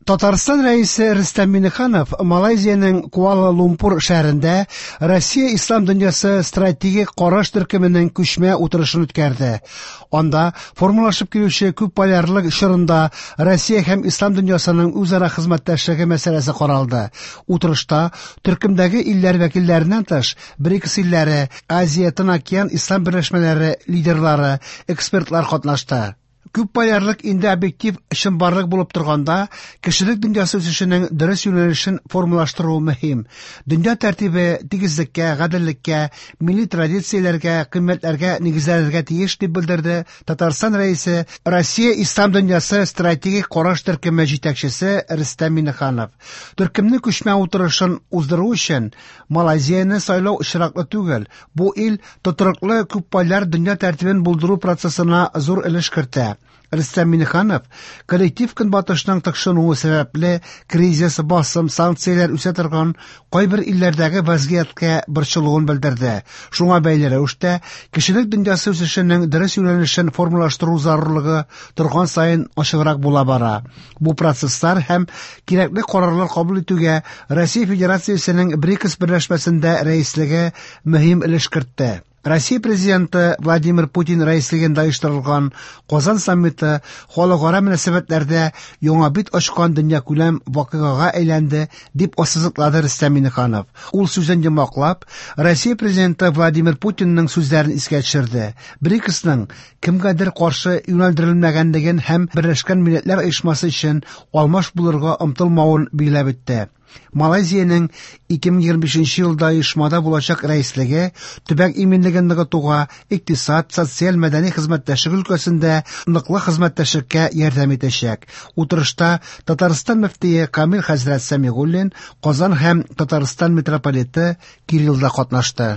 Татарстан Рәисе Рөстәм Миңнеханов Малайзиянең Куала-Лумпур шәһәрендә Россия Ислам дөньясы стратегик караш төркеменең күчмә утырышын үткәрде. Анда формалашып килүче күпполярлык чорында Россия һәм Ислам дөньясының үзара хезмәттәшлеге мәсьәләсе каралды. Утырышта төркемдәге илләр вәкилләреннән тыш, БРИКС илләре, Азия-Тын океан ислам берләшмәләре лидерлары, экспертлар катнашты. Күпполярлык инде объектив чынбарлык булып торганда, кешелек дөньясы үсешенең дөрес юнәлешен формалаштыру мөһим. Дөнья тәртибе тигезлеккә, гаделлеккә, милли традицияләргә, кыйммәтләргә нигезләнергә тиеш, дип белдерде Татарстан Рәисе, Россия Ислам дөньясы стратегик караш төркеме җитәкчесе Рөстәм Миңнеханов. Төркемнең күчмә утырышын уздыру өчен Малайзияне сайлау очраклы түгел. Бу ил тотрыклы күпполяр дөнья тәртибен булдыру процессына зур өлеш кертә. Рөстәм Миңнеханов коллектив Көнбатышның тыкшынуы сәбәпле кризис, басым, санкцияләр үсә торган кайбер илләрдәге вазгыятькә борчылуын белдерде. Шуңа бәйле рәвештә кешелек дөньясы үсешенең дөрес юнәлешен формалаштыру зарурлыгы торган саен ачыграк була бара. Бу процесслар һәм кирәкле карарлар кабул итүгә Россия Федерациясенең БРИКС берләшмәсендә рәислеге мөһим өлеш кертте. Россия Президенты Владимир Путин рәислегендә оештырылган Казан саммиты халыкара мөнәсәбәтләрдә яңа бит ачкан дөньякүләм вакыйгага әйләнде, дип ассызыклады Рөстәм Миңнеханов. Ул сүзен йомгаклап, Россия Президенты Владимир Путинның сүзләрен искә төшерде. БРИКСның кемгәдер каршы юнәлдерелмәгәнлеген һәм Берләшкән Милләтләр Оешмасы өчен алмаш булырга омтылмавын билгеләп үтте. Малайзиянең 2025 елда оешмада булачак рәислеге төбәк иминлеген ныгытуга, икътисад, социаль-мәдәни хезмәттәшлек өлкәсендә ныклы хезмәттәшлеккә ярдәм итәчәк. Утырышта Татарстан мөфтие Камил хәзрәт Сәмигуллин, Казан һәм Татарстан митрополиты Кирилл да катнашты.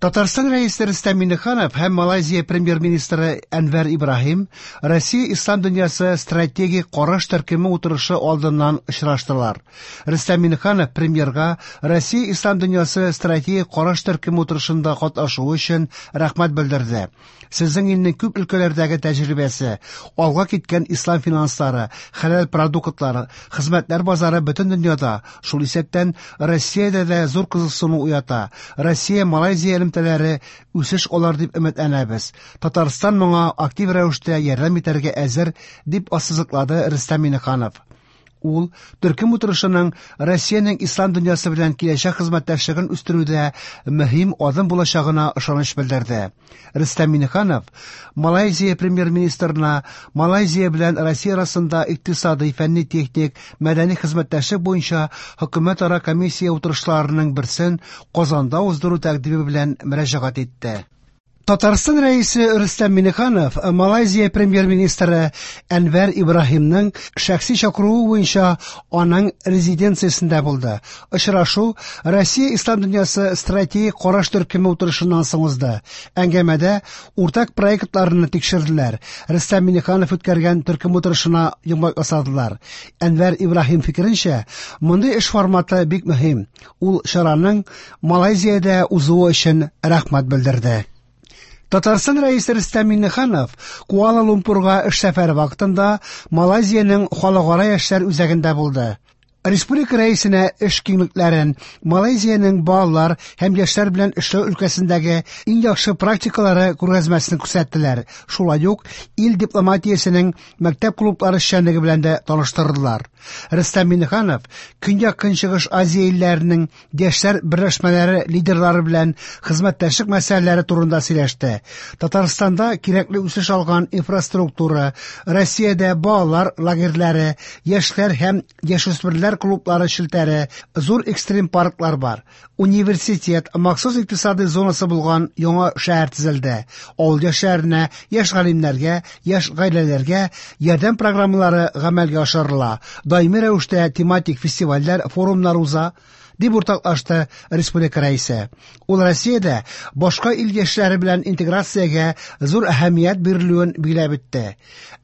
Татарстан Рәисе Рөстәм Миңнеханов һәм Малайзия премьер-министры Әнвәр Ибраһим Россия Ислам дөньясы стратегик караш төркеме утырышы алдыннан очраштылар. Рөстәм Миңнеханов премьерга Россия Ислам дөньясы стратегик караш төркеме утырышында катнашуы өчен рәхмәт белдерде. Сезнең илнең күп өлкәләрдәге тәҗрибәсе, алга киткән ислам финанслары, хәләл продуктлары, хезмәтләр базары бөтен дөньяда, шул исәптән Россиядә дә зур кызыксыну уята. Россия-Малайзия элемтәләре үсеш алыр дип өметләнәбез. Татарстан моңа актив рәвештә ярдәм итәргә әзер, дип ассызыклады Рөстәм Миңнеханов. Ул төркем утырышының Россиянең ислам дөньясы белән киләчәк хезмәттәшлеген үстерүдә мөһим адым булачагына ышаныч белдерде. Рөстәм Миңнеханов Малайзия премьер-министрына Малайзия белән Россия арасында икътисадый, фәнни-техник, мәдәни хезмәттәшлек буенча хөкүмәтара комиссия утырышларының берсен Казанда уздыру тәкъдиме белән мөрәҗәгать итте. Татарстан Рәисе Рөстәм Миңнеханов Малайзия премьер-министры Әнвәр Ибраһимның шәхси чакыруы буенча аның резиденциясендә булды. Очрашу Россия Ислам дөньясы стратегик караш төркеме утырышыннан соң узды. Әңгәмәдә уртак проектларны тикшерделәр. Рөстәм Миңнеханов үткәргән төркем утырышына йомгак ясадылар. Әнвәр Ибраһим фикеренчә, мондый эш форматы бик мөһим. Ул чараның Малайзиядә узуы өчен рәхмәт белдерде. Татарстан Рәисе Рөстәм Миңнеханов Куала-Лумпурга эш сәфәре вакытында Малайзиянең халыкара яшьләр үзәгендә булды. Республика Рәисенә эш киңлекләрен, Малайзиянең балалар һәм яшьләр белән эшләү өлкәсендәге иң яхшы практикалары күргәзмәсен күрсәттеләр. Шулай ук ил дипломатиясенең мәктәп клублары эшчәнлеге белән дә таныштырдылар. Рөстәм Миңнеханов Көньяк-Көнчыгыш Азия илләренең яшьләр берләшмәләре лидерлары белән хезмәттәшлек мәсьәләләре турында сөйләште. Татарстанда кирәкле үсеш алган инфраструктура, Россиядә балалар лагерьлары, яшьләр һәм яшүсмерләр клублары челтәре, зур экстрим парклар бар. Университет, махсус икътисадый зонасы булган яңа шәһәр төзелде. Авыл яшьләренә, яшь галимнәргә, яшь гаиләләргә ярдәм программалары гамәлгә ашырыла. Даими рәвештә тематик фестивальләр, форумнар уза, дип уртаклашты республика Рәисе. Ул Россиядә башка ил яшьләре белән интеграциягә зур әһәмият бирелүен билгеләп үтте.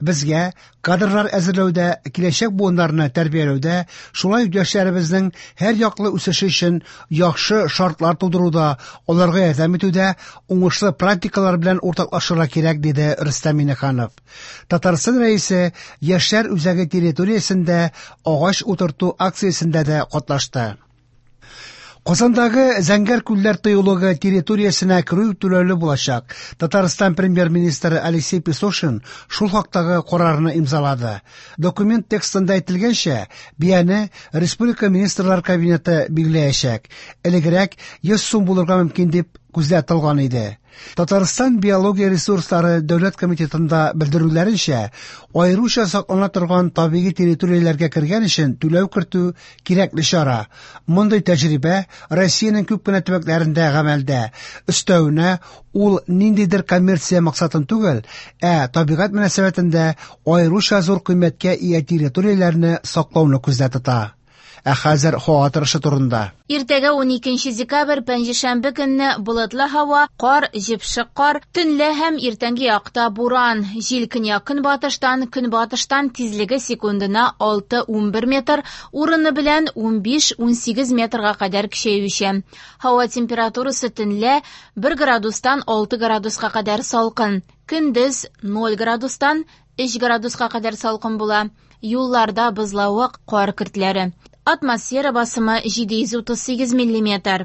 Безгә кадрлар әзерләүдә, киләчәк буыннарны тәрбияләүдә, шулай ук яшьләребезнең һәрьяклы үсеше өчен яхшы шартлар тудыруда, аларга ярдәм итүдә уңышлы практикалар белән уртаклашырга кирәк, диде Рөстәм Миңнеханов. Татарстан Рәисе Яшьләр үзәге территориясендә агач утырту акциясендә дә катнашты. Казандагы Зәңгәр күлләр тыюлыгы территориясенә керү түләүле булачак. Татарстан премьер-министры Алексей Песошин шул хактагы карарны имзалады. Документ текстында әйтелгәнчә, бияне республика министрлар кабинеты билгеләячәк. Элегрәк 100 сум булырга мөмкин дип күздә тотылган иде. Татарстан биология ресурслары дәүләт комитетында белдерүләренчә, аеруча саклана торган табигый территорияләргә кергән өчен түләү кертү кирәкле чара. Мондый тәҗрибә Россиянең күп кенә төбәкләрендә гамәлдә. Өстәвенә, ул ниндидер коммерция максатын түгел, ә табигать мөнәсәбәтендә аеруча зур кыйммәткә ия территорияләрне саклауны күздә тота. Ә хәзер һава торышы турында. Иртәгә 12 декабрь пәнҗешәмбе көнне болытлы һава, кар, җепшек кар, төнлә һәм иртәнге якта буран. Җил көньяк-көнбатыштан, көнбатыштан тизлеге секундына 6-11 метр, урыны белән 15-18 метрга кадәр көчәючән. Һава температурасы төнлә 1 градустан 6 градуска кадәр салкын, көндез 0 градустан 3 градуска кадәр салкын була. Юлларда бозлавык, кар көртләре. Атмосфера басымы 738 миллиметр.